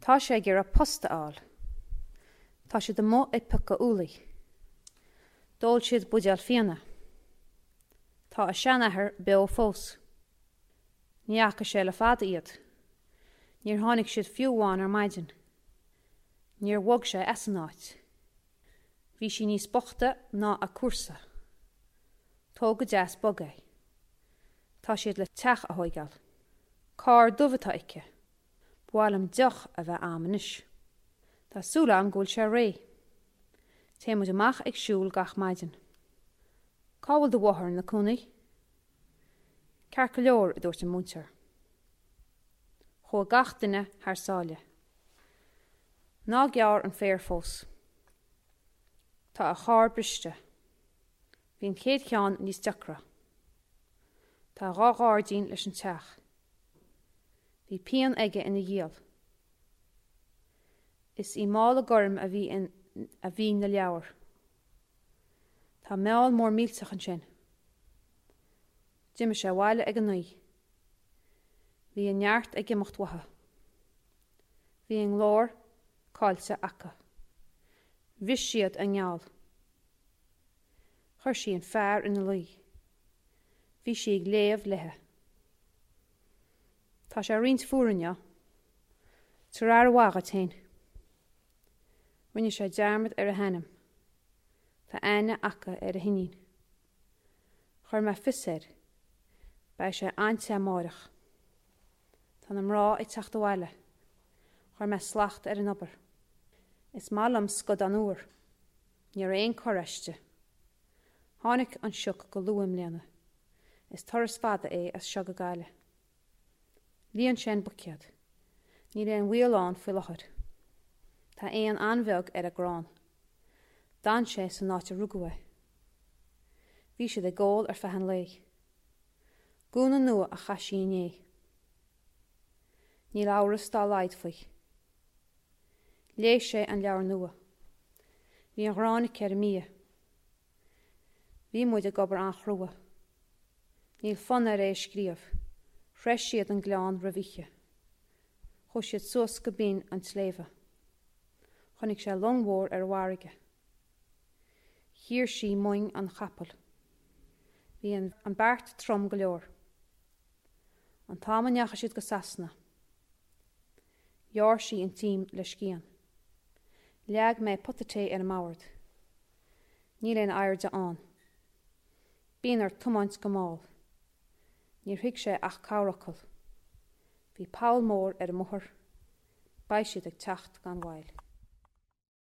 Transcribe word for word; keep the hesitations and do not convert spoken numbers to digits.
Tá sé ag iarraidh post a fháil. Tá siad amuigh ag piocadh úllaí. D'ól siad buidéal fíona. Tá a seanathair beo fós. Ní fhaca sé le fada iad. Níor tháinig siad fiú amháin ar maidin. Níor bhog sé as an áit. Bhí sí níos boichte ná a comharsa. Tóg go deas bog é. Tá siad le teach a thógáil. Carr dubh atá aici. Ba mhaith liom deoch a bheith agam anois. Tá súil agam go bhfuil sé réidh. Téimid amach ag siúl gach maidin. Cá bhfuil do mháthair ina cónaí? Ceart go leor a dúirt an múinteoir. Chuaigh gach duine thar sáile. Ná gearr an féar fós. Tá a charr briste. Bhí an chéad cheann níos deacra. Tá dhá ghairdín leis an teach. Bhí pian aige ina ghiall. Is i mála gorm a bhí in a bhí na leabhair. Tá meall mór millteach ansin. D'imigh sé abhaile ag a naoi. Bhí a neart ag imeacht uathu. Bhí an glór caillte acu. Bhris siad a ngeall. Chuir sí an fear ina luí. Bhí sí ag léamh léi. Tá sé roinnt fuar inniu. Tabhair aire mhaith duit féin. Rinne sé dearmad ar a hainm. Tá aithne acu ar a hiníon. Chuir mé fios air. Beidh sé an-te amárach. Tá na mná ag teacht abhaile. Chuir mé slacht ar an obair. Is maith liom scadán úr. Ní raibh aon chor aisti. Tháinig an sioc go luath i mbliana. Is turas fada é as seo go Gaillimh. Líon sé an buicéad. Níl aon bhaol ann faoi láthair. Tá éan an-bheag ar an gcrann. D'fhan sé san áit a rugadh é. Bhí siad ag ól ar feadh an lae. Gúna nua a chaith sí inné. Níl amhras dá laghad faoi. Léigh sé an leabhar nua. Bhí an ghráin aici ar an mbia. Bhí muid ag obair an-chrua. Níl fonn air é a scríobh. Shroich siad an gleann roimh oíche. Chuaigh siad suas go binn an tsléibhe. Chonaic sé long mhór ar an bhfarraige. Chíor sí muin an chapaill. Bhí an, an beart trom go leor. An t-am a ndeachaigh siad go Sasana. Ghearr sí an t-im le scian. Leag mé pota tae ar an mbord. Níl aon airde ann. Bíonn ort tiomáint go mall. Níor thuig sé ach corrfhocal. Bhí poll mór ar an mbóthar. Beidh siad ag teacht gan mhoill.